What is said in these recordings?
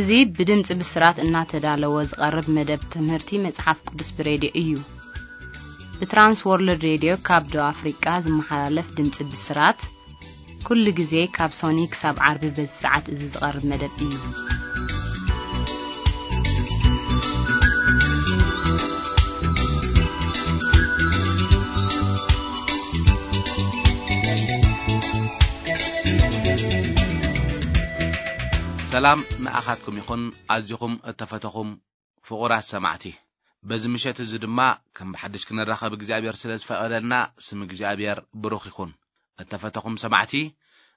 እዚ ብድምፂ ብስራት እናተዳለወ ዝቐርብ መደብ ትምህርቲ መጽሓፍ ቅዱስ ብሬድዮ እዩ። ብትራንስ ወርልድ ሬድዮ ካብ ደቡብ ኣፍሪቃ ዝመሓላለፍ ድምፂ ብስራት፣ ኩሉ ግዜ ካብ ሶኒ ክሳብ ዓርቢ በዚ ሰዓት እዚ ዝቐርብ መደብ እዩ። ሰላም ንኣኻትኩም ይኹን፣ ኣዚኹም እተፈተኹም ፍቑራት ሰማዕቲ። በዚ ምሸት እዚ ድማ ከም ብሓድሽ ክንራኸብ እግዚኣብሔር ስለ ዝፈቐደልና ስም እግዚኣብሔር ብሩኽ ይኹን። እተፈተኹም ሰማዕቲ፣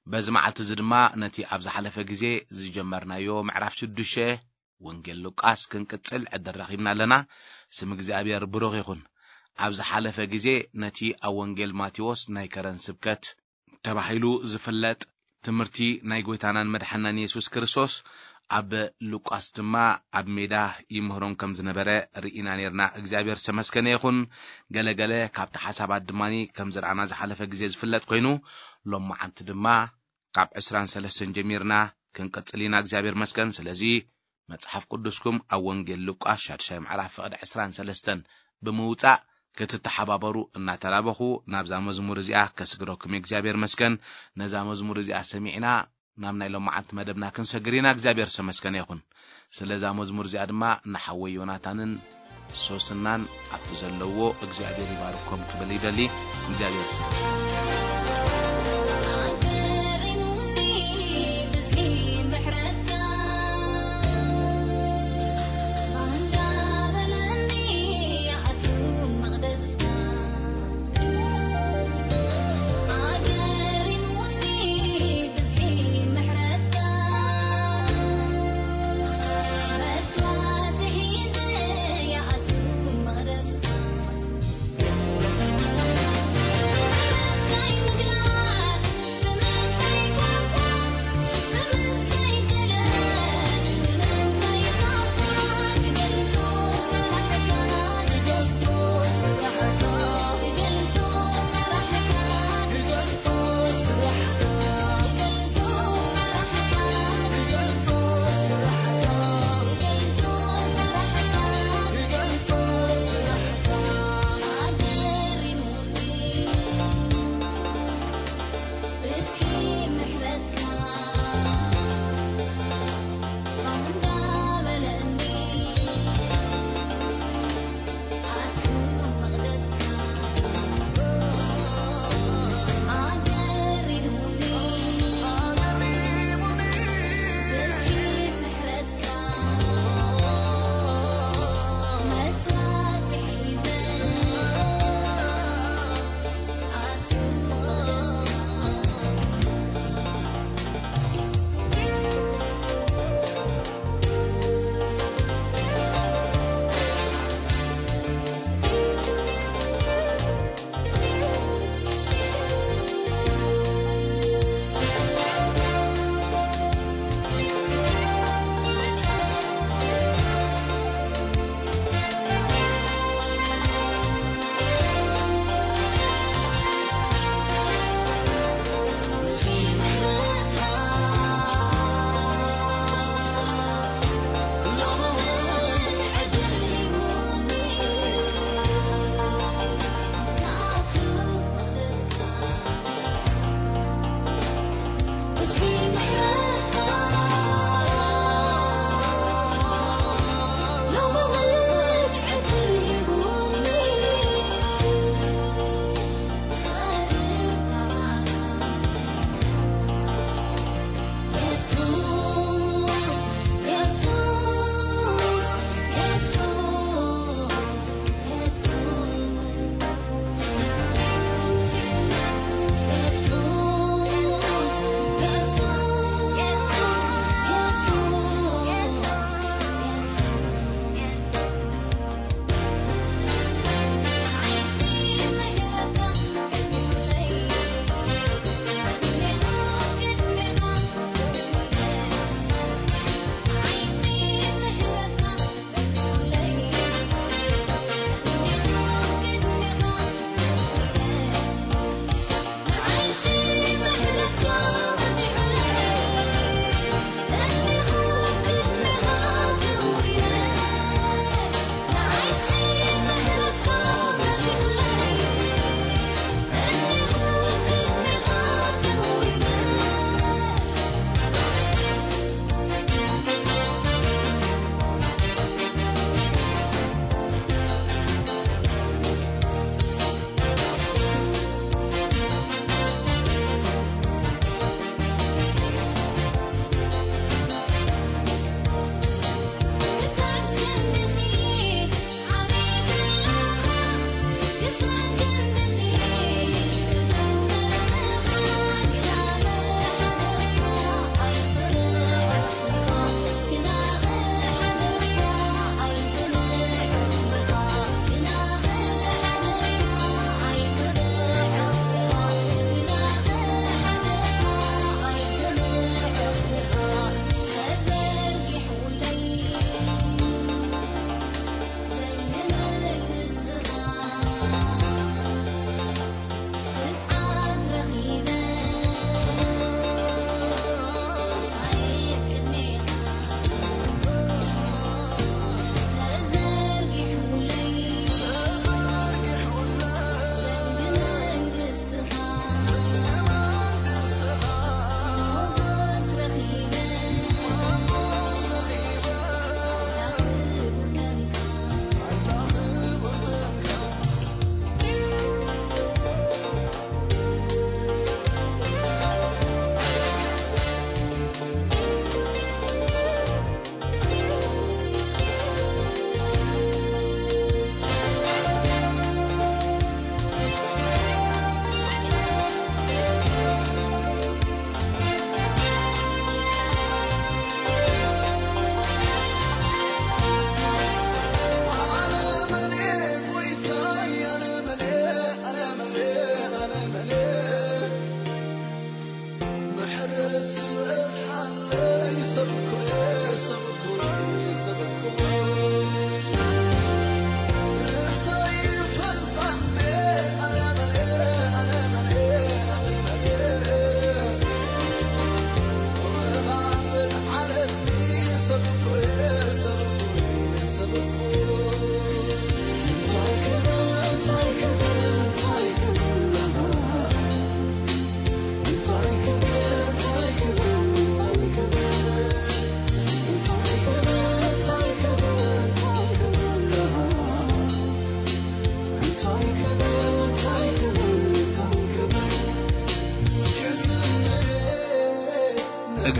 በዚ መዓልቲ እዚ ድማ ነቲ ኣብ ዝሓለፈ ግዜ ዝጀመርናዮ ምዕራፍ ሽዱሽተ ወንጌል ሉቃስ ክንቅጽል ዕድል ረኺብና ኣለና። ስም እግዚኣብሔር ብሩኽ ይኹን። ኣብ ዝሓለፈ ግዜ ነቲ ኣብ ወንጌል ማቴዎስ ናይ ከረን ስብከት ተባሂሉ ዝፍለጥ ትምህርቲ ናይ ጐይታናን መድሓናን የሱስ ክርስቶስ ኣብ ሉቃስ ድማ ኣብ ሜዳ ይምህሮም ከም ዝነበረ ርኢና ነርና። እግዚኣብሔር ዝተመስገነ ይኹን። ገለገለ ካብቲ ሓሳባት ድማ ከም ዝረኣና ዝሓለፈ ግዜ ዝፍለጥ ኮይኑ፣ ሎማዓንቲ ድማ ካብ ዕስራን ሰለስተን ጀሚርና ክንቅጽል ኢና። እግዚኣብሔር መስገን። ስለዚ መጽሓፍ ቅዱስኩም ኣብ ወንጌል ሉቃስ ሻድሻይ ምዕራፍ ፍቕዲ ዕስራን ሰለስተን ብምውጻእ ክትተሓባበሩ እናተላበኹ ናብዛ መዝሙር እዚኣ ከስግረኩም እየ። እግዚኣብሔር መስገን። ነዛ መዝሙር እዚኣ ሰሚዕና ናብ ናይ ሎማዓንቲ መደብና ክንሰግር ኢና። እግዚኣብሔር ዝተመስገነ ይኹን። ስለዛ መዝሙር እዚኣ ድማ ንሓወይ ዮናታንን ሶስናን ኣብቲ ዘለዎ እግዚኣብሔር ይባርኮም ክብል ይደሊ። እግዚኣብሔር ይባርኮም።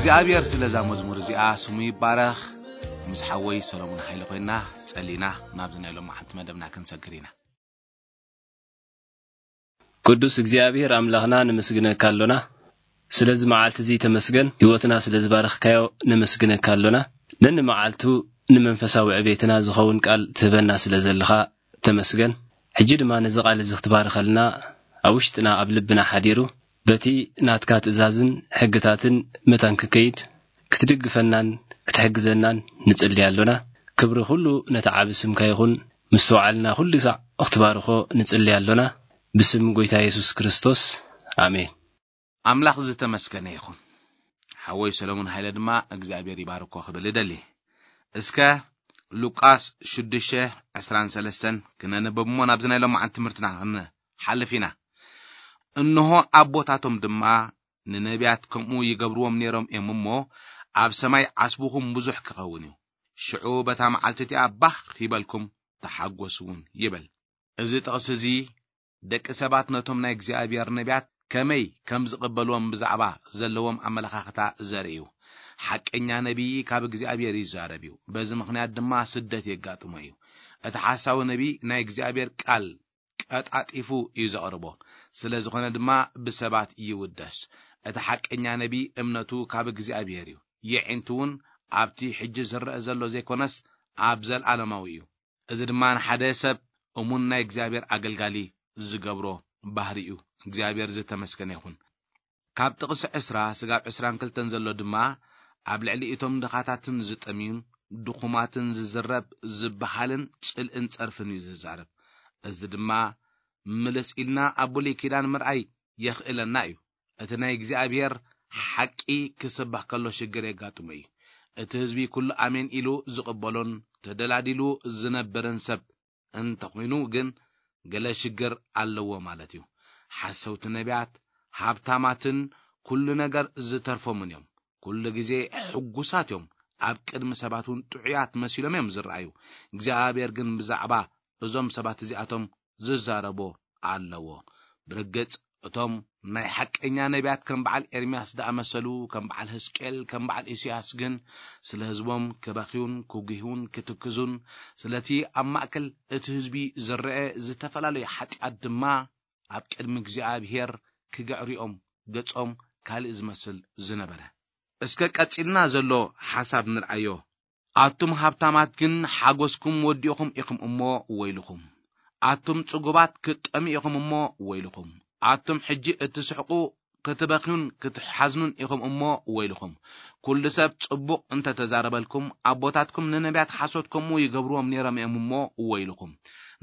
እግዚኣብሔር ስለዛ መዝሙር እዚኣ ስሙ ይባረኽ። ምስ ሓወይ ሰሎሞን ሓይለ ኮይና ጸሊና ናብዚ ናይ ሎም መዓልቲ መደብና ክንሰግር ኢና። ቅዱስ እግዚኣብሔር ኣምላኽና ንምስግነካ ኣሎና። ስለዚ መዓልቲ እዚ ተመስገን፣ ህይወትና ስለ ዝባረኽካዮ ንምስግነካ ኣሎና። ነኒ መዓልቱ ንመንፈሳዊ ዕቤትና ዝኸውን ቃል ትህበና ስለ ዘለኻ ተመስገን። ሕጂ ድማ ነዚ ቃል እዚ ክትባርኸልና ኣብ ውሽጥና ኣብ ልብና ሓዲሩ በቲ ናትካ ትእዛዝን ሕግታትን መታን ክከይድ ክትድግፈናን ክትሕግዘናን ንጽሊ ኣሎና። ክብሪ ኩሉ ነቲ ዓቢ ስምካ ይኹን። ምስትውዓልና ኩሉ ሳዕ ክትባርኾ ንጽሊ ኣሎና። ብስም ጎይታ የሱስ ክርስቶስ፣ ኣሜን። ኣምላኽ ዝተመስገነ ይኹን። ሓወይ ሰሎሞን ሃይለ ድማ እግዚኣብሔር ይባርኮ ክብል እደሊ። እስከ ሉቃስ ሽዱሽተ ዕስራን ሰለስተን ክነንብብ እሞ ናብዚ ናይ ሎማዓንቲ ትምህርትና ክንሓልፍ ኢና። እንሆ ኣቦታቶም ድማ ንነቢያት ከምኡ ይገብርዎም ነይሮም እዮም እሞ፣ ኣብ ሰማይ ዓስብኹም ብዙሕ ክኸውን እዩ። ሽዑ በታ መዓልቲ እቲኣ ባህ ይበልኩም ተሓጎስ እውን ይበል። እዚ ጥቕሲ እዚ ደቂ ሰባት ነቶም ናይ እግዚኣብሔር ነቢያት ከመይ ከም ዝቕበልዎም ብዛዕባ ዘለዎም ኣመለኻኽታ ዘርኢ እዩ። ሓቀኛ ነቢይ ካብ እግዚኣብሔር ይዛረብ እዩ። በዚ ምኽንያት ድማ ስደት የጋጥሞ እዩ። እቲ ሓሳዊ ነቢይ ናይ እግዚኣብሔር ቃል ቀጣጢፉ እዩ ዘቕርቦ። ስለ ዝኾነ ድማ ብሰባት ይውደስ። እቲ ሓቀኛ ነቢይ እምነቱ ካብ እግዚኣብሔር እዩ። የዒንቱ እውን ኣብቲ ሕጂ ዝረአ ዘሎ ዘይኮነስ ኣብ ዘለኣለማዊ እዩ። እዚ ድማ ንሓደ ሰብ እሙን ናይ እግዚኣብሔር ኣገልጋሊ ዝገብሮ ባህሪ እዩ። እግዚኣብሔር ዝተመስገነ ይኹን። ካብ ጥቕሲ ዕስራ ስጋብ ዕስራን ክልተን ዘሎ ድማ ኣብ ልዕሊ እቶም ድኻታትን ዝጠምዩን ድኹማትን ዝዝረብ ዝበሃልን ጽልእን ጸርፍን እዩ ዝዛረብ። እዚ ድማ ምልስ ኢልና ኣብ ብሉይ ኪዳን ምርኣይ የኽእለና እዩ። እቲ ናይ እግዚኣብሔር ሓቂ ክስበኽ ከሎ ሽግር የጋጥሞ እዩ። እቲ ህዝቢ ኩሉ ኣሜን ኢሉ ዝቕበሎን ተደላዲሉ ዝነብርን ሰብ እንተኾይኑ ግን ገለ ሽግር ኣለዎ ማለት እዩ። ሓሰውቲ ነቢያት ሃብታማትን ኩሉ ነገር ዝተርፎምን እዮም። ኩሉ ግዜ ሕጉሳት እዮም። ኣብ ቅድሚ ሰባት እውን ጥዑያት መሲሎም እዮም ዝረኣዩ። እግዚኣብሔር ግን ብዛዕባ እዞም ሰባት እዚኣቶም ዝዛረቦ ኣለዎ። ብርግጽ እቶም ናይ ሓቀኛ ነቢያት ከም በዓል ኤርምያስ ዝኣመሰሉ፣ ከም በዓል ህዝቅኤል፣ ከም በዓል ኢሳያስ ግን ስለ ህዝቦም ክበኽዩን ክጉህዩን ክትክዙን፣ ስለቲ ኣብ ማእከል እቲ ህዝቢ ዝረአ ዝተፈላለዩ ሓጢኣት ድማ ኣብ ቅድሚ እግዚኣብሔር ክግዕርኦም ገጾም ካልእ ዝመስል ዝነበረ። እስከ ቀጺልና ዘሎ ሓሳብ ንርኣዮ። ኣቱም ሃብታማት ግን ሓጎስኩም ወዲእኹም ኢኹም እሞ ወይልኹም። ኣቱም ጽጉባት ክትጠምዩ ኢኹም እሞ ወይልኹም። ኣቱም ሕጂ እትስሕቁ ክትበኽዩን ክትሓዝኑን ኢኹም እሞ ወይልኹም። ኩሉ ሰብ ጽቡቕ እንተ ተዛረበልኩም፣ ኣቦታትኩም ንነቢያት ሓሶት ከምኡ ይገብርዎም ነይሮም እዮም እሞ ወይልኹም።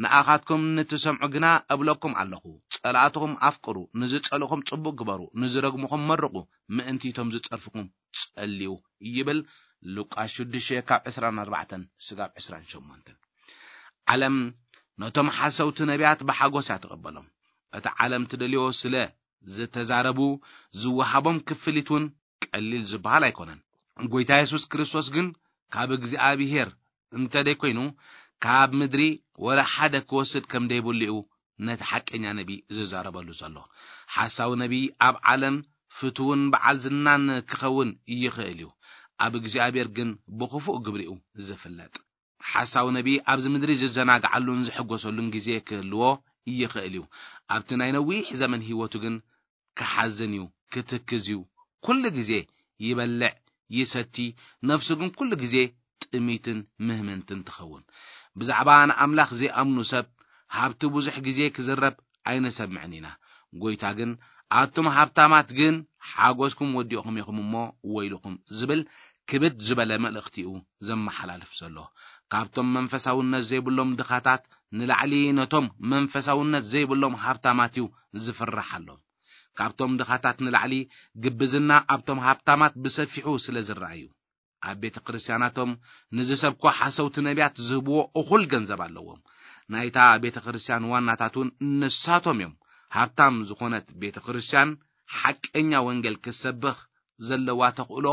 ንኣኻትኩም ንትሰምዑ ግና እብለኩም ኣለኹ፣ ጸላእትኹም ኣፍቅሩ፣ ንዝጸልእኹም ጽቡቕ ግበሩ፣ ንዝረግሙኹም መርቑ፣ ምእንቲ እቶም ዝጸርፍኹም ጸልዩ ይብል። ሉቃስ ሽዱሽተ ካብ ዕስራን ኣርባዕተን ስጋብ ዕስራን ሸሞንተን። ዓለም ነቶም ሓሰውቲ ነቢያት ብሓጎስ እያ ትቐበሎም። እቲ ዓለም ትደልዮ ስለ ዝተዛረቡ ዝወሃቦም ክፍሊት እውን ቀሊል ዝበሃል ኣይኮነን። ጎይታ የሱስ ክርስቶስ ግን ካብ እግዚኣብሔር እንተ ደይኮይኑ ካብ ምድሪ ወላ ሓደ ክወስድ ከም ደይብሉ እዩ ነቲ ሓቀኛ ነቢ ዝዛረበሉ ዘሎ። ሓሳዊ ነቢ ኣብ ዓለም ፍትውን በዓል ዝናን ክኸውን ይኽእል እዩ። ኣብ እግዚኣብሔር ግን ብኽፉእ ግብሪኡ ዝፍለጥ። ሓሳዊ ነቢ ኣብዚ ምድሪ ዝዘናግዓሉን ዝሕጎሰሉን ግዜ ክህልዎ ይኽእል እዩ። ኣብቲ ናይ ነዊሕ ዘመን ህይወቱ ግን ክሓዝን እዩ፣ ክትክዝ እዩ። ኩሉ ግዜ ይበልዕ፣ ይሰቲ፣ ነፍሱ ግን ኩሉ ግዜ ጥሚትን ምህምንትን ትኸውን። ብዛዕባ ንኣምላኽ ዘይኣምኑ ሰብ ሃብቲ ብዙሕ ግዜ ክዝረብ ኣይንሰምዕን ኢና። ጎይታ ግን፣ ኣቱም ሃብታማት ግን ሓጎስኩም ወዲእኹም ኢኹም እሞ ወይልኹም ዝብል ክብድ ዝበለ መልእኽቲ እዩ ዘመሓላልፍ ዘሎ። ካብቶም መንፈሳውነት ዘይብሎም ድኻታት ንላዕሊ ነቶም መንፈሳውነት ዘይብሎም ሃብታማት እዩ ዝፍርሓሎም። ካብቶም ድኻታት ንላዕሊ ግብዝና ኣብቶም ሃብታማት ብሰፊሑ ስለ ዝረኣዩ፣ ኣብ ቤተ ክርስቲያናቶም ንዝሰብኮ ሓሰውቲ ነቢያት ዝህብዎ እኹል ገንዘብ ኣለዎም። ናይታ ቤተ ክርስቲያን ዋናታት እውን ንሳቶም እዮም። ሃብታም ዝኾነት ቤተ ክርስቲያን ሓቀኛ ወንጌል ክትሰብኽ ዘለዋ ተኽእሎ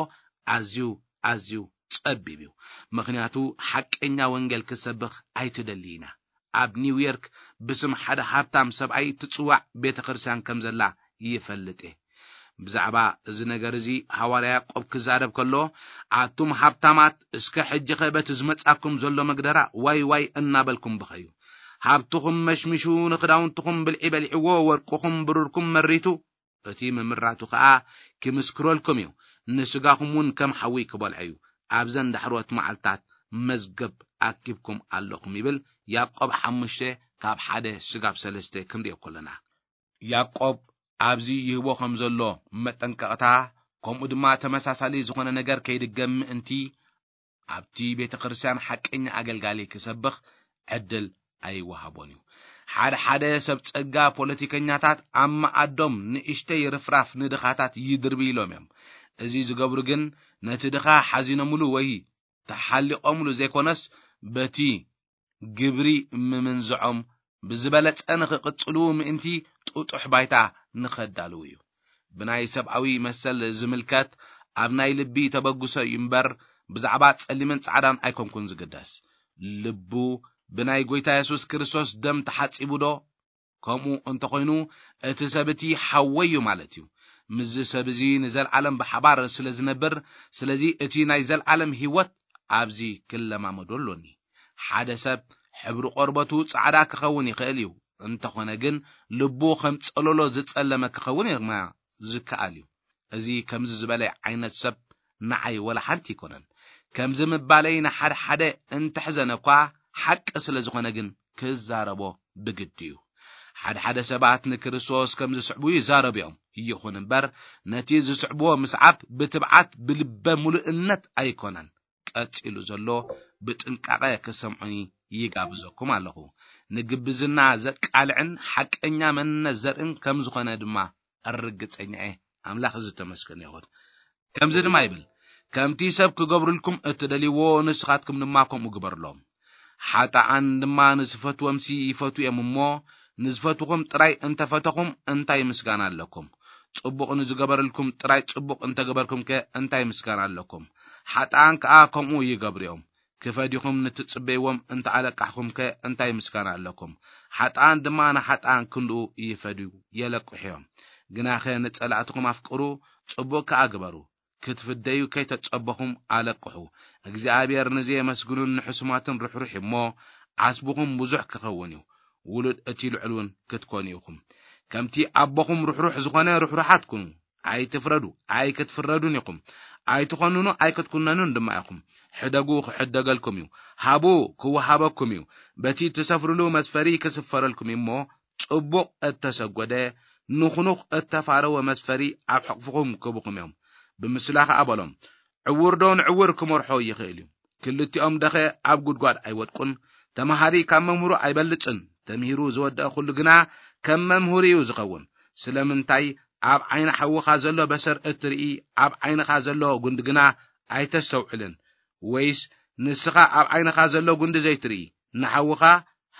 ኣዝዩ ኣዝዩ ጸቢብ እዩ። ምኽንያቱ ሓቀኛ ወንጌል ክትሰብኽ ኣይትደሊ ኢና። ኣብ ኒውዮርክ ብስም ሓደ ሃብታም ሰብኣይ ትጽዋዕ ቤተ ክርስቲያን ከም ዘላ ይፈልጥ እየ። ብዛዕባ እዚ ነገር እዚ ሃዋርያ ያዕቆብ ክዛረብ ከሎ፣ ኣቱም ሃብታማት፣ እስከ ሕጂኸ በቲ ዝመጻኩም ዘሎ መግደራ ዋይ ዋይ እናበልኩም ብኸዩ። ሃብትኹም መሽሚሹ፣ ንኽዳውንትኹም ብልዒ በሊዕዎ፣ ወርቅኹም ብሩርኩም መሪቱ፣ እቲ ምምራቱ ኸኣ ክምስክረልኩም እዩ፣ ንስጋኹም እውን ከም ሓዊ ክበልዖ እዩ። ኣብዘን ዳሕሮት መዓልታት መዝገብ ኣኪብኩም ኣለኹም ይብል። ያዕቆብ ሓሙሽተ ካብ ሓደ ስጋብ ሰለስተ ክንሪኦ ከለና፣ ያዕቆብ ኣብዚ ይህቦ ከም ዘሎ መጠንቀቕታ፣ ከምኡ ድማ ተመሳሳሊ ዝኾነ ነገር ከይድገም ምእንቲ፣ ኣብቲ ቤተ ክርስቲያን ሓቀኛ ኣገልጋሊ ክሰብኽ ዕድል ኣይወሃቦን እዩ። ሓደ ሓደ ሰብ ጸጋ ፖለቲከኛታት ኣብ መኣዶም ንእሽተይ ርፍራፍ ንድኻታት ይድርብይሎም እዮም። እዚ ዝገብሩ ግን ነቲ ድኻ ሓዚኖምሉ ወይ ተሓሊቖምሉ ዘይኮነስ፣ በቲ ግብሪ ምምንዝዖም ብዝበለጸ ንኽቕጽሉ ምእንቲ ጥጡሕ ባይታ ንኸዳልዉ እዩ። ብናይ ሰብኣዊ መሰል ዝምልከት ኣብ ናይ ልቢ ተበግሶ እዩ እምበር፣ ብዛዕባ ጸሊምን ጻዕዳን ኣይኮንኩን ዝግደስ። ልቡ ብናይ ጐይታ የሱስ ክርስቶስ ደም ተሓጺቡ ዶ? ከምኡ እንተኾይኑ፣ እቲ ሰብ እቲ ሓወይ እዩ ማለት እዩ። ምስዚ ሰብ እዚ ንዘለዓለም ብሓባር ስለ ዝነብር፣ ስለዚ እቲ ናይ ዘለዓለም ህይወት ኣብዚ ክለማመዶ ኣሎኒ። ሓደ ሰብ ሕብሪ ቆርበቱ ጻዕዳ ክኸውን ይኽእል እዩ፣ እንተኾነ ግን ልቡ ከም ጸለሎ ዝጸለመ ክኸውን ድማ ዝከኣል እዩ። እዚ ከምዚ ዝበለ ዓይነት ሰብ ንዓይ ወላ ሓንቲ ኣይኮነን። ከምዚ ምባለይ ንሓደ ሓደ እንተሕዘነ እኳ፣ ሓቂ ስለ ዝኾነ ግን ክዛረቦ ብግዲ እዩ። ሓደ ሓደ ሰባት ንክርስቶስ ከም ዝስዕቡ ይዛረቡ እዮም። ይኹን እምበር፣ ነቲ ዝስዕብዎ ምስዓብ ብትብዓት ብልበ ሙሉእነት ኣይኮነን። ቀጺሉ ዘሎ ብጥንቃቐ ክሰምዑኒ ይጋብዘኩም ኣለኹ። ንግብዝና ዘቃልዕን ሓቀኛ መንነት ዘርእን ከም ዝኾነ ድማ ርግጸኛ እየ። ኣምላኽ ዝተመስገነ ይኹን። ከምዚ ድማ ይብል፣ ከምቲ ሰብ ክገብሩልኩም እትደልይዎ ንስኻትኩም ድማ ከምኡ ግበሩሎም። ሓጥኣን ድማ ንዝፈትዎምሲ ይፈትዉ እዮም እሞ፣ ንዝፈትኹም ጥራይ እንተፈተኹም እንታይ ምስጋና ኣለኩም? ጽቡቕ ንዝገበረልኩም ጥራይ ጽቡቕ እንተገበርኩምከ እንታይ ምስጋና ኣለኩም? ሓጥኣን ከኣ ከምኡ ይገብሩ እዮም። ክፈድዩኹም ንትጽበይዎም እንተ ኣለቃሕኹምከ እንታይ ምስጋና ኣለኩም? ሓጥኣን ድማ ንሓጥኣን ክንድኡ ይፈድዩ፣ የለቅሑ እዮም። ግናኸ ንጸላእትኹም ኣፍቅሩ፣ ጽቡቕ ከኣ ግበሩ። ክትፍደዩ ከይተጸበኹም ኣለቅሑ። እግዚኣብሔር ንዘየመስግኑን ንሕሱማትን ርሕሩሕ እዩ እሞ፣ ዓስብኹም ብዙሕ ክኸውን እዩ። ውሉድ እቲ ልዑል እውን ክትኮኑ ኢኹም። ከምቲ ኣቦኹም ርሕሩሕ ዝኾነ ርሕሩሓት ኩኑ። ኣይትፍረዱ፣ ኣይክትፍረዱን ኢኹም። ኣይትኾንኑ፣ ኣይክትኩነኑን ድማ ኢኹም። ሕደጉ፣ ክሕደገልኩም እዩ። ሃቡ፣ ክወሃበኩም እዩ። በቲ ትሰፍርሉ መስፈሪ ክስፈረልኩም እዩ እሞ፣ ጽቡቕ እተሰጎደ፣ ንኹኑኽ እተፋረወ መስፈሪ ኣብ ሕቕፍኹም ክህቡኹም እዮም። ብምስላ ኸኣ በሎም፣ ዕውር ዶ ንዕውር ክመርሖ ይኽእል እዩ? ክልቲኦም ደኸ ኣብ ጉድጓድ ኣይወድቁን? ተማሃሪ ካብ መምህሩ ኣይበልጽን። ተምሂሩ ዝወደአ ኩሉ ግና ከም መምህሩ እዩ ዝኸውን። ስለምንታይ ኣብ ዓይኒ ሓውኻ ዘሎ በሰር እትርኢ፣ ኣብ ዓይንኻ ዘሎ ጉንዲ ግና ኣይተስተውዕልን? ወይስ ንስኻ ኣብ ዓይንኻ ዘሎ ጉንዲ ዘይትርኢ፣ ንሓውኻ፣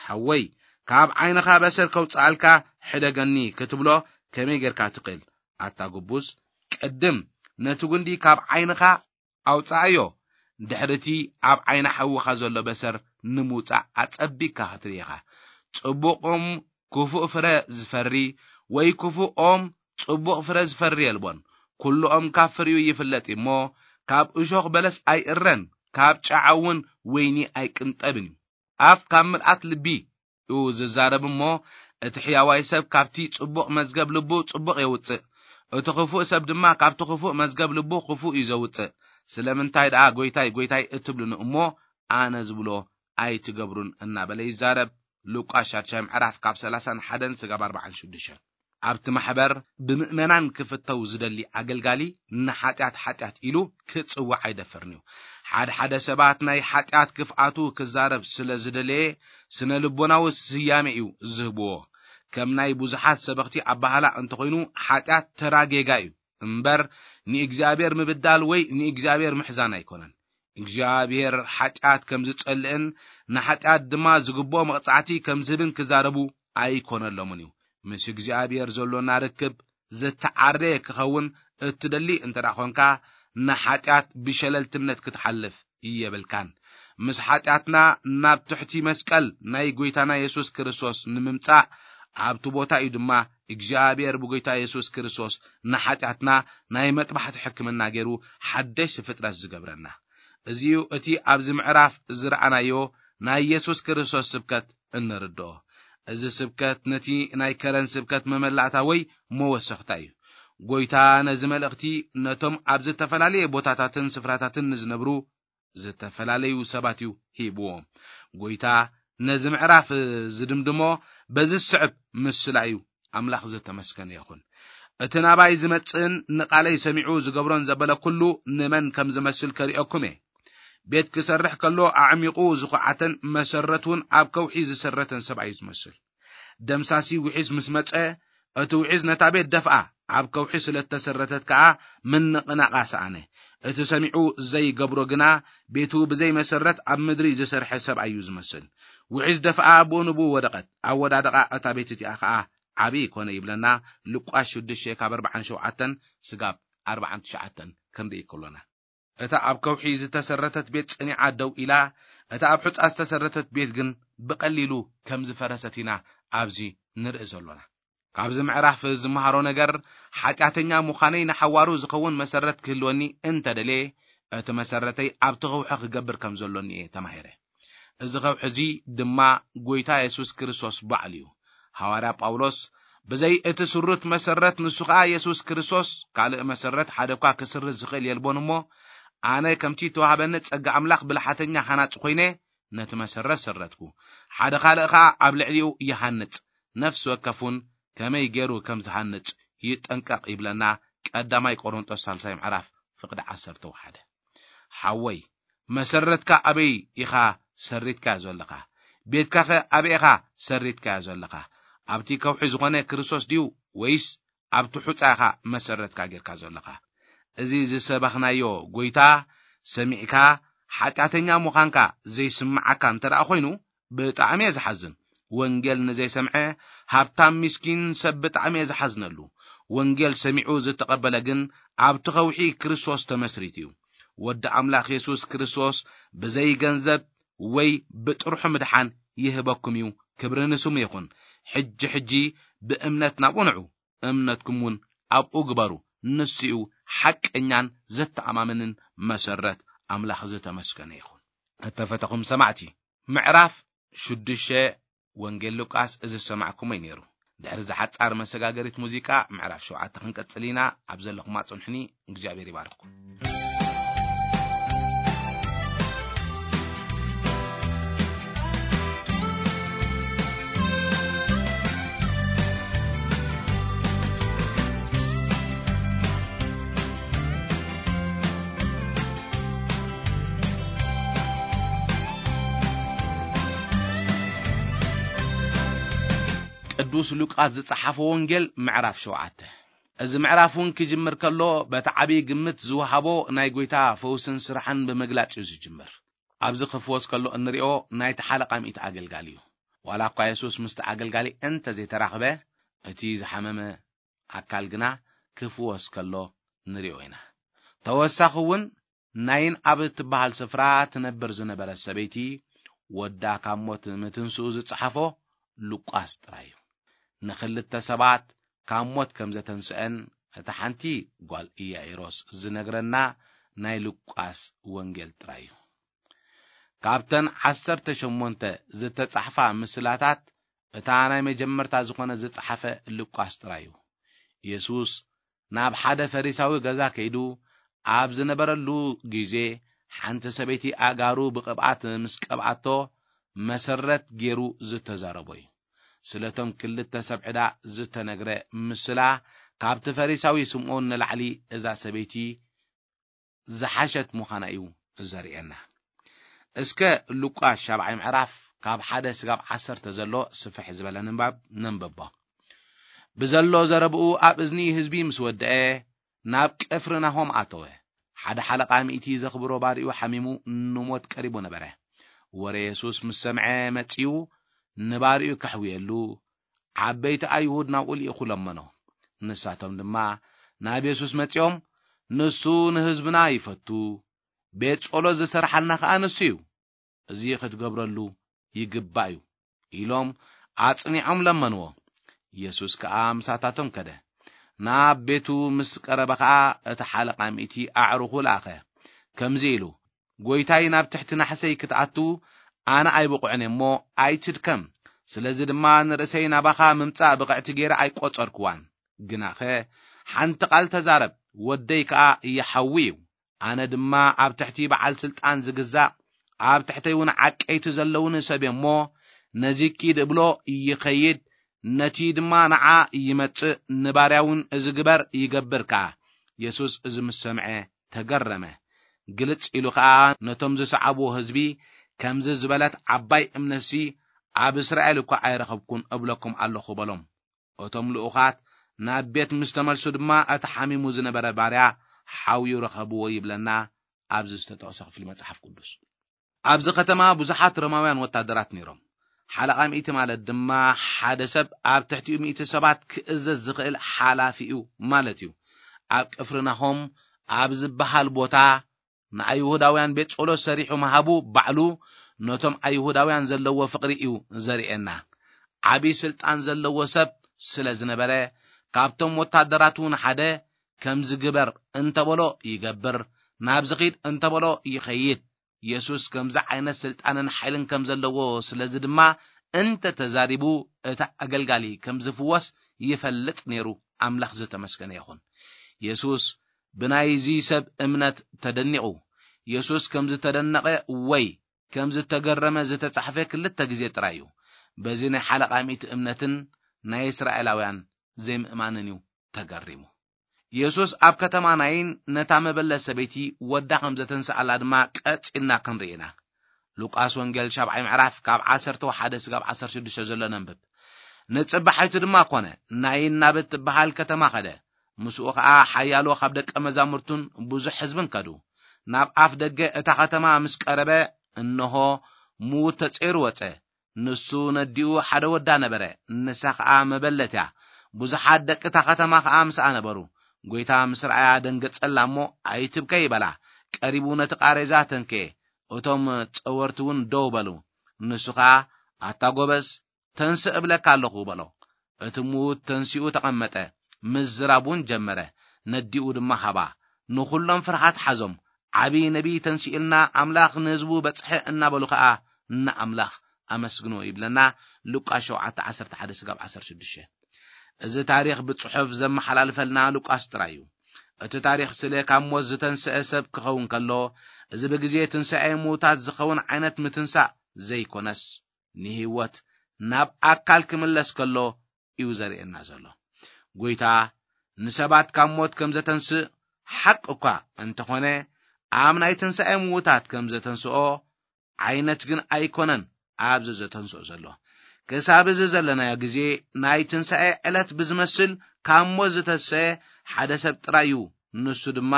ሓወይ፣ ካብ ዓይንኻ በሰር ከውጽኣልካ ሕደገኒ ክትብሎ ከመይ ጌርካ ትኽእል? ኣታ ግቡዝ፣ ቅድም ነቲ ጉንዲ ካብ ዓይንኻ ኣውጽኣዮ፣ ድሕሪ እቲ ኣብ ዓይኒ ሓውኻ ዘሎ በሰር ንምውጻእ ኣጸቢቕካ ክትርኢ ኢኻ። ጽቡቕ ኦም ክፉእ ፍረ ዝፈሪ፣ ወይ ክፉእ ኦም ጽቡቕ ፍረ ዝፈሪ የልቦን። ኩሉ ኦም ካብ ፍሪኡ ይፍለጥ እዩ እሞ፣ ካብ እሾኽ በለስ ኣይእረን፣ ካብ ጨዓ እውን ወይኒ ኣይቅንጠብን እዩ። ኣፍ ካብ ምልኣት ልቢ እዩ ዝዛረብ እሞ፣ እቲ ሕያዋይ ሰብ ካብቲ ጽቡቕ መዝገብ ልቡ ጽቡቕ የውጽእ፣ እቲ ክፉእ ሰብ ድማ ካብቲ ክፉእ መዝገብ ልቡ ክፉእ እዩ ዘውጽእ። ስለምንታይ ደኣ "ጐይታይ፣ ጐይታይ" እትብሉኒ እሞ ኣነ ዝብሎ ኣይትገብሩን እናበለ ይዛረብ። ሉቃስ ሻድሻይ ምዕራፍ ካብ ሰላሳን ሓደን ስጋብ ኣርባዓን ሽዱሽተን። ኣብቲ ማሕበር ብምእመናን ክፍተው ዝደሊ ኣገልጋሊ ንሓጢኣት ሓጢኣት ኢሉ ክጽውዕ ኣይደፍርን እዩ። ሓደ ሓደ ሰባት ናይ ሓጢኣት ክፍኣቱ ክዛረብ ስለ ዝደለየ ስነ ልቦናዊ ስያሜ እዩ ዝህብዎ። ከም ናይ ብዙሓት ሰበኽቲ ኣባህላ እንተኾይኑ ሓጢኣት ተራ ጌጋ እዩ እምበር ንእግዚኣብሔር ምብዳል ወይ ንእግዚኣብሔር ምሕዛን ኣይኮነን። እግዚኣብሔር ሓጢኣት ከም ዝጸልእን ንሓጢኣት ድማ ዝግብኦ መቕጻዕቲ ከም ዝህብን ክዛረቡ ኣይኮነሎምን እዩ። ምስ እግዚኣብሔር ዘሎና ርክብ ዝተዓረየ ክኸውን እትደሊ እንተ ደኣ ኾንካ፣ ንሓጢኣት ብሸለልትነት ክትሓልፍ የብልካን። ምስ ሓጢኣትና ናብ ትሕቲ መስቀል ናይ ጐይታና የሱስ ክርስቶስ ንምምጻእ ኣብቲ ቦታ እዩ ድማ እግዚኣብሔር ብጐይታ የሱስ ክርስቶስ ንሓጢኣትና ናይ መጥባሕቲ ሕክምና ገይሩ ሓደሽ ፍጥረት ዝገብረና። እዚዩ እቲ ኣብዚ ምዕራፍ ዝረኣናዮ ናይ የሱስ ክርስቶስ ስብከት እንርድኦ። እዚ ስብከት ነቲ ናይ ከረን ስብከት መመላእታ ወይ መወሰኽታ እዩ። ጐይታ ነዚ መልእኽቲ ነቶም ኣብ ዝተፈላለየ ቦታታትን ስፍራታትን ንዝነብሩ ዝተፈላለዩ ሰባት እዩ ሂብዎም። ጐይታ ነዚ ምዕራፍ ዝድምድሞ በዚ ዝስዕብ ምስላ እዩ። ኣምላኽ ዝተመስገነ ይኹን። እቲ ናባይ ዝመጽእን ንቓለይ ሰሚዑ ዝገብሮን ዘበለ ኩሉ ንመን ከም ዝመስል ከርእየኩም እየ። ቤት ክሰርሕ ከሎ ኣዕሚቑ ዝኹዓተን መሰረት እውን ኣብ ከውሒ ዝሰረተን ሰብኣይ እዩ ዝመስል። ደምሳሲ ውሒስ ምስ መጸ፣ እቲ ውሒስ ነታ ቤት ደፍኣ፣ ኣብ ከውሒ ስለ እተሰረተት ከኣ ምንቕናቓ ሰኣነ። እቲ ሰሚዑ ዘይገብሮ ግና፣ ቤቱ ብዘይ መሰረት ኣብ ምድሪ ዝሰርሐ ሰብኣይ እዩ ዝመስል። ውሒስ ደፍኣ፣ ብኡ ንብኡ ወደቐት። ኣወዳድቓ እታ ቤት እቲኣ ከኣ ዓቢ ኮነ ይብለና። ሉቃስ ሽዱሽተ ካብ ኣርብዓን ሸውዓተን ስጋብ ኣርብዓን ትሽዓተን ክንርኢ ከሎና። እታ ኣብ ከውሒ ዝተሰረተት ቤት ጸኒዓ ደው ኢላ፣ እታ ኣብ ሑጻ ዝተሰረተት ቤት ግን ብቐሊሉ ከም ዝፈረሰት ኢና ኣብዚ ንርኢ ዘሎና። ካብዚ ምዕራፍ ዝመሃሮ ነገር፣ ሓጢኣተኛ ምዃነይ ንሓዋሩ ዝኸውን መሰረት ክህልወኒ እንተደልየ፣ እቲ መሰረተይ ኣብቲ ከውሒ ክገብር ከም ዘሎኒ እየ ተማሂረ። እዚ ከውሒ እዚ ድማ ጐይታ የሱስ ክርስቶስ ባዕሉ እዩ። ሃዋርያ ጳውሎስ፣ "ብዘይ እቲ ስሩት መሰረት፣ ንሱ ኸኣ የሱስ ክርስቶስ፣ ካልእ መሰረት ሓደ እኳ ክስርት ዝኽእል የልቦን እሞ፣ ኣነ ከምቲ እተዋህበኒ ጸጋ ኣምላኽ ብልሓተኛ ሃናጺ ኾይነ፣ ነቲ መሰረት ሰረትኩ። ሓደ ካልእ ኸኣ ኣብ ልዕሊኡ ይሃንጽ፣ ነፍሲ ወከፍ እውን ከመይ ገይሩ ከም ዝሃንጽ ይጠንቀቕ" ይብለና ቀዳማይ ቆሮንጦስ ሳልሳይ ምዕራፍ ፍቕዲ ዓሰርተ ሓደ። ሓወይ፣ መሰረትካ ኣበይ ኢኻ ሰሪትካዮ ዘለኻ? ቤትካኸ ኣበይ ኢኻ ሰሪትካዮ ዘለኻ? ኣብቲ ከውሒ ዝኾነ ክርስቶስ ድዩ ወይስ ኣብቲ ሑጻ ኢኻ መሰረትካ ጌርካ ዘለኻ? እዚ ዝሰበኽናዮ ጐይታ ሰሚዕካ ሓጢኣተኛ ምዃንካ ዘይስምዓካ እንተ ደኣ ኾይኑ፣ ብጣዕሚ እየ ዝሓዝን። ወንጌል ንዘይሰምዐ ሃብታም ምስኪን ሰብ ብጣዕሚ እየ ዝሓዝነሉ። ወንጌል ሰሚዑ ዝተቐበለ ግን ኣብቲ ኸውሒ ክርስቶስ ተመስሪቱ እዩ። ወዲ ኣምላኽ የሱስ ክርስቶስ ብዘይ ገንዘብ ወይ ብጥርሑ ምድሓን ይህበኩም እዩ። ክብሪ ንስሙ ይኹን። ሕጂ ሕጂ ብእምነት ናብኡ ንዑ፣ እምነትኩም እውን ኣብኡ ግበሩ። ንሱ እዩ ሓቀኛን ዘተኣማምንን መሰረት። ኣምላኽ ዝተመስገነ ይኹን። እተፈተኹም ሰማዕቲ፣ ምዕራፍ ሽዱሽተ ወንጌል ሉቃስ እዚ ዝሰማዕኩሞ እዩ ነይሩ። ድሕሪ እዛ ሓጻር መሰጋገሪት ሙዚቃ፣ ምዕራፍ ሸውዓተ ክንቀጽል ኢና። ኣብ ዘለኹም ኣጽንሑኒ። እግዚኣብሔር ይባርኽኩም። ቅዱስ ሉቃስ ዝጸሓፎ ወንጌል ምዕራፍ ሸውዓተ። እዚ ምዕራፍ እውን ክጅምር ከሎ፣ በቲ ዓብዪ ግምት ዝወሃቦ ናይ ጐይታ ፈውስን ስራሕን ብምግላጽ እዩ ዝጅምር። ኣብዚ ክፍወስ ከሎ እንሪኦ ናይቲ ሓለቓ ሚእቲ ኣገልጋሊ እዩ። ዋላ እኳ የሱስ ምስቲ ኣገልጋሊ እንተ ዘይተራኽበ፣ እቲ ዝሓመመ ኣካል ግና ክፍወስ ከሎ ንሪኦ ኢና። ተወሳኺ እውን ናይን ኣብ እትበሃል ስፍራ ትነብር ዝነበረት ሰበይቲ ወዳ ካብ ሞት ምትንስኡ ዝጸሓፎ ሉቃስ ጥራይ እዩ። ንኽልተ ሰባት ካብ ሞት ከም ዘተንስአን እታ ሓንቲ ጓል ኢያኢሮስ ዝነግረና ናይ ሉቃስ ወንጌል ጥራይ እዩ። ካብተን ዓሰርተ ሸሞንተ ዝተጻሕፋ ምስላታት እታ ናይ መጀመርታ ዝኾነ ዝጸሓፈ ሉቃስ ጥራይ እዩ። የሱስ ናብ ሓደ ፈሪሳዊ ገዛ ከይዱ ኣብ ዝነበረሉ ግዜ፣ ሓንቲ ሰበይቲ ኣእጋሩ ብቕብኣት ምስ ቀብኣቶ መሰረት ገይሩ ዝተዛረቦ እዩ። ስለቶም ክልተ ሰብ ዕዳ ዝተነግረ ምስላ፣ ካብቲ ፈሪሳዊ ስምዖን ንላዕሊ እዛ ሰበይቲ ዝሓሸት ምዃና እዩ ዘርእየና። እስከ ሉቃስ ሻብዓይ ምዕራፍ ካብ ሓደ ስጋብ ዓሰርተ ዘሎ ስፍሕ ዝበለ ንባብ ነንብቦ። ብዘሎ ዘረብኡ ኣብ እዝኒ ህዝቢ ምስ ወደአ፣ ናብ ቅፍርናሆም ኣተወ። ሓደ ሓለቓ ሚእቲ ዘኽብሮ ባሪኡ ሓሚሙ ንሞት ቀሪቡ ነበረ። ወረ የሱስ ምስ ሰምዐ መጺኡ ንባሪኡ ከሕውየሉ፣ ዓበይቲ ኣይሁድ ናብኡ ልኢኹ ለመኖ። ንሳቶም ድማ ናብ የሱስ መጺኦም፣ "ንሱ ንህዝብና ይፈቱ፣ ቤት ጸሎት ዝሰርሓልና ከኣ ንሱ እዩ። እዚ ክትገብረሉ ይግባእ እዩ" ኢሎም ኣጽኒዖም ለመንዎ። የሱስ ከኣ ምሳታቶም ከደ። ናብ ቤቱ ምስ ቀረበ ኸኣ እቲ ሓለቓ ሚእቲ ኣዕሩኹ ለኣኸ፣ ከምዚ ኢሉ፣ "ጐይታይ፣ ናብ ትሕቲ ናሕሰይ ክትኣቱ ኣነ ኣይብቑዕን እየ እሞ ኣይትድከም። ስለዚ ድማ ንርእሰይ ናባኻ ምምጻእ ብቕዕቲ ገይረ ኣይቈጸርክዋን። ግናኸ ሓንቲ ቃል ተዛረብ፣ ወደይ ከኣ ይሓዊ እዩ። ኣነ ድማ ኣብ ትሕቲ በዓል ስልጣን ዝግዛእ፣ ኣብ ትሕተይ እውን ዓቀይቲ ዘለውኒ ሰብ እየ እሞ፣ ነዚ ኪድ እብሎ ይኸይድ፣ ነቲ ድማ ንዓ ይመጽእ፣ ንባርያ እውን እዚ ግበር ይገብር ከኣ።" የሱስ እዚ ምስ ሰምዐ ተገረመ። ግልጽ ኢሉ ከኣ ነቶም ዝሰዓብዎ ህዝቢ፣ "ከምዚ ዝበለት ዓባይ እምነትሲ ኣብ እስራኤል እኳ ኣይረኸብኩን እብለኩም ኣለኹ" በሎም። እቶም ልኡኻት ናብ ቤት ምስ ተመልሱ ድማ፣ እቲ ሓሚሙ ዝነበረ ባርያ ሓውዩ ረኸብዎ ይብለና ኣብዚ ዝተጠቕሰ ክፍሊ መጽሓፍ ቅዱስ። ኣብዚ ከተማ ብዙሓት ሮማውያን ወታደራት ነይሮም። ሓለቓ ሚእቲ ማለት ድማ ሓደ ሰብ ኣብ ትሕቲኡ ሚእቲ ሰባት ክእዘዝ ዝኽእል ሓላፊ እዩ ማለት እዩ። ኣብ ቅፍርናሆም ኣብ ዝበሃል ቦታ ንኣይሁዳውያን ቤት ጸሎት ሰሪሑ ምሃቡ ባዕሉ ነቶም ኣይሁዳውያን ዘለዎ ፍቕሪ እዩ ዘርእየና። ዓቢ ስልጣን ዘለዎ ሰብ ስለ ዝነበረ፣ ካብቶም ወታደራቱ ንሓደ፣ "ከምዚ ግበር" እንተበሎ ይገብር፣ "ናብዚ ኺድ" እንተበሎ ይኸይድ። የሱስ ከምዚ ዓይነት ስልጣንን ሓይልን ከም ዘለዎ፣ ስለዚ ድማ እንተ ተዛሪቡ፣ እቲ ኣገልጋሊ ከም ዝፍወስ ይፈልጥ ነይሩ። ኣምላኽ ዝተመስገነ ይኹን። የሱስ ብናይዚ ሰብ እምነት ተደኒቑ። የሱስ ከም ዝተደነቐ ወይ ከም ዝተገረመ ዝተጻሕፈ ክልተ ግዜ ጥራይ እዩ። በዚ ናይ ሓለቓ ሚእቲ እምነትን ናይ እስራኤላውያን ዘይምእማንን እዩ ተገሪሙ። የሱስ ኣብ ከተማ ናይን ነታ መበለት ሰበይቲ ወዳ ከም ዘተንስኣላ ድማ ቀጺልና ክንርኢ ኢና። ሉቃስ ወንጌል ሻብዓይ ምዕራፍ ካብ ዓሰርተ ሓደ ስጋብ ዓሰርተ ሽዱሽተ ዘሎ ነንብብ። ንጽባሒቱ ድማ ኮነ፣ ናይን ናብ እትበሃል ከተማ ኸደ። ምስኡ ኸኣ ሓያሎ ካብ ደቀ መዛሙርቱን ብዙሕ ህዝብን ከዱ። ናብ ኣፍ ደገ እታ ከተማ ምስ ቀረበ፣ እንሆ፣ ምዉት ተጸይሩ ወጸ። ንሱ ነዲኡ ሓደ ወዳ ነበረ፣ ንሳ ኸኣ መበለት እያ። ብዙሓት ደቂ እታ ከተማ ኸኣ ምስኣ ነበሩ። ጐይታ ምስ ረኣያ ደንገጸላ እሞ፣ "ኣይትብከይ" በላ። ቀሪቡ ነቲ ቃሬዛ ተንከየ። እቶም ጸወርቲ እውን ደው በሉ። ንሱ ኸኣ፣ "ኣታ ጐበዝ፣ ተንስእ እብለካ ኣለኹ" በሎ። እቲ ምዉት ተንሲኡ ተቐመጠ፣ ምዝራብ እውን ጀመረ። ነዲኡ ድማ ሃባ። ንኹሎም ፍርሃት ሓዞም። "ዓቢ ነቢይ ተንሲኡልና፣ ኣምላኽ ንህዝቡ በጽሐ" እናበሉ ኸኣ ንኣምላኽ ኣመስግንዎ ይብለና ሉቃስ ሸውዓተ ዓሰርተ ሓደ ስጋብ ዓሰርተ ሽዱሽተ። እዚ ታሪኽ ብጽሑፍ ዘመሓላልፈልና ሉቃስ ጥራይ እዩ። እቲ ታሪኽ ስለ ካብ ሞት ዝተንስአ ሰብ ክኸውን ከሎ፣ እዚ ብግዜ ትንሳኤ ምዉታት ዝኸውን ዓይነት ምትንሳእ ዘይኮነስ፣ ንህይወት ናብ ኣካል ክምለስ ከሎ እዩ ዘርእየና ዘሎ። ጐይታ ንሰባት ካብ ሞት ከም ዘተንስእ ሓቂ እኳ እንተኾነ፣ ኣብ ናይ ትንሳኤ ምዉታት ከም ዘተንስኦ ዓይነት ግን ኣይኮነን ኣብዚ ዘተንስኦ ዘሎ። ክሳብ እዚ ዘለናዮ ግዜ ናይ ትንሳኤ ዕለት ብዝመስል ካብ ሞት ዝተንስአ ሓደ ሰብ ጥራይ እዩ። ንሱ ድማ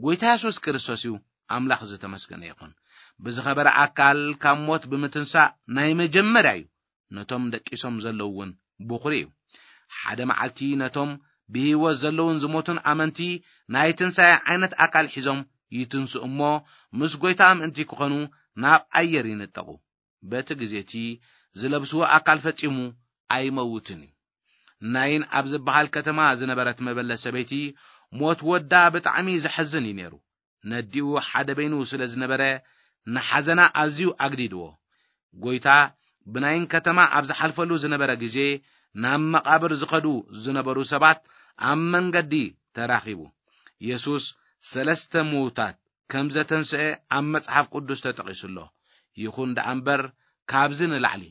ጐይታ የሱስ ክርስቶስ እዩ። ኣምላኽ ዝተመስገነ ይኹን። ብዝኸበረ ኣካል ካብ ሞት ብምትንሳእ ናይ መጀመርያ እዩ። ነቶም ደቂሶም ዘለዉ እውን ብኹሪ እዩ። ሓደ መዓልቲ ነቶም ብህይወት ዘለዉን ዝሞቱን ኣመንቲ ናይ ትንሳኤ ዓይነት ኣካል ሒዞም ይትንስኡ እሞ፣ ምስ ጐይታ ምእንቲ ክኾኑ ናብ ኣየር ይንጠቑ። በቲ ግዜ እቲ ዝለብስዎ ኣካል ፈጺሙ ኣይመውትን እዩ። ናይን ኣብ ዝበሃል ከተማ ዝነበረት መበለት ሰበይቲ፣ ሞት ወዳ ብጣዕሚ ዘሐዝን እዩ ነይሩ። ነዲኡ ሓደ በይኑ ስለ ዝነበረ፣ ንሓዘና ኣዝዩ ኣግዲድዎ። ጐይታ ብናይን ከተማ ኣብ ዝሓልፈሉ ዝነበረ ግዜ፣ ናብ መቓብር ዝኸዱ ዝነበሩ ሰባት ኣብ መንገዲ ተራኺቡ። የሱስ ሰለስተ ምዉታት ከም ዘተንስአ ኣብ መጽሓፍ ቅዱስ ተጠቒሱ ኣሎ። ይኹን ደኣ እምበር፣ ካብዚ ንላዕሊ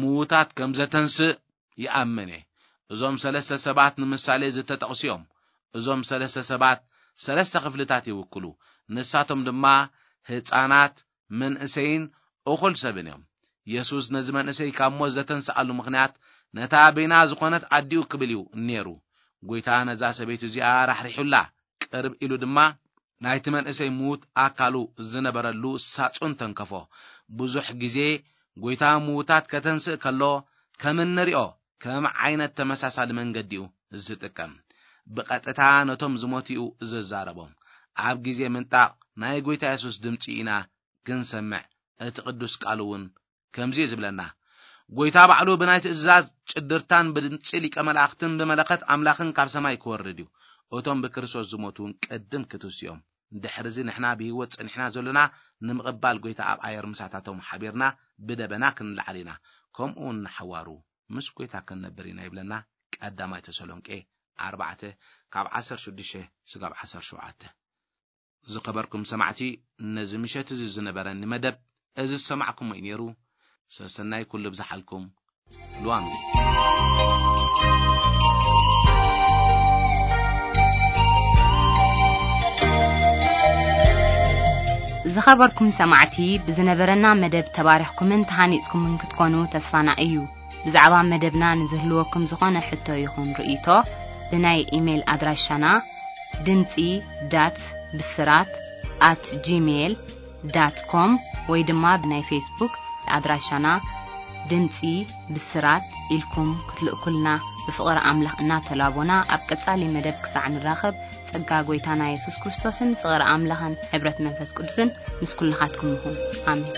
ምዉታት ከም ዘተንስእ ይኣምን እየ። እዞም ሰለስተ ሰባት ንምሳሌ ዝተጠቕሱ እዮም። እዞም ሰለስተ ሰባት ሰለስተ ክፍልታት ይውክሉ። ንሳቶም ድማ ህፃናት፣ መንእሰይን እኹል ሰብን እዮም። የሱስ ነዚ መንእሰይ ካብ ሞት ዘተንስኣሉ ምኽንያት ነታ በይና ዝኾነት ኣዲኡ ክብል እዩ ነይሩ። ጎይታ ነዛ ሰበይቲ እዚኣ ራሕሪሑላ፣ ቅርብ ኢሉ ድማ ናይቲ መንእሰይ ምዉት ኣካሉ ዝነበረሉ ሳጹን ተንከፎ። ብዙሕ ግዜ ጎይታ ምዉታት ከተንስእ ከሎ ከም እንሪኦ ከም ዓይነት ተመሳሳሊ መንገዲ እዩ ዝጥቀም። ብቐጥታ ነቶም ዝሞቱ እዩ ዝዛረቦም። ኣብ ግዜ ምንጣቕ ናይ ጎይታ የሱስ ድምጺ ኢና ክንሰምዕ፣ እቲ ቅዱስ ቃሉ እውን ከምዚ እዩ ዝብለና። ጎይታ ባዕሉ ብናይ ትእዛዝ ጭድርታን ብድምጺ ሊቀ መላእኽትን ብመለኸት ኣምላኽን ካብ ሰማይ ክወርድ እዩ። እቶም ብክርስቶስ ዝሞቱ እውን ቅድም ክትሱ እዮም። ድሕርዚ ንሕና ብህይወት ጸኒሕና ዘሎና ንምቕባል ጎይታ ኣብ ኣየር ምሳታቶም ሓቢርና ብደበና ክንለዓል ኢና። ከምኡ እውን ንሓዋሩ ምስ ጎይታ ክንነብር ኢና ይብለና። ቀዳማይ ተሰሎንቄ ኣርባዕተ ካብ ዓሰርተ ሽዱሽተ ስጋብ ዓሰርተ ሸውዓተ። ዝኸበርኩም ሰማዕቲ፣ ነዚ ምሸት እዚ ዝነበረኒ መደብ እዚ ዝሰማዕኩሞ እዩ ነይሩ። ሰሰናይ ኩሉ ብዝሓልኩም። ሉዋም። ዝኸበርኩም ሰማዕቲ፣ ብዝነበረና መደብ ተባሪኽኩምን ተሃኒጽኩምን ክትኮኑ ተስፋና እዩ። ብዛዕባ መደብና ንዝህልወኩም ዝኾነ ሕቶ ይኹን ርእይቶ፣ ብናይ ኢሜይል ኣድራሻና ድምጺ ዳት ብስራት ኣት ጂሜይል ዳት ኮም ወይ ድማ ብናይ ፌስቡክ ኣድራሻና ድምጺ ብስራት ኢልኩም ክትልእኩልና ብፍቕሪ ኣምላኽ እናተላቦና፣ ኣብ ቀጻሊ መደብ ክሳዕ ንራኸብ፣ ጸጋ ጎይታና የሱስ ክርስቶስን ፍቕሪ ኣምላኽን ሕብረት መንፈስ ቅዱስን ምስ ኩልኻትኩም ይኹን። ኣሜን።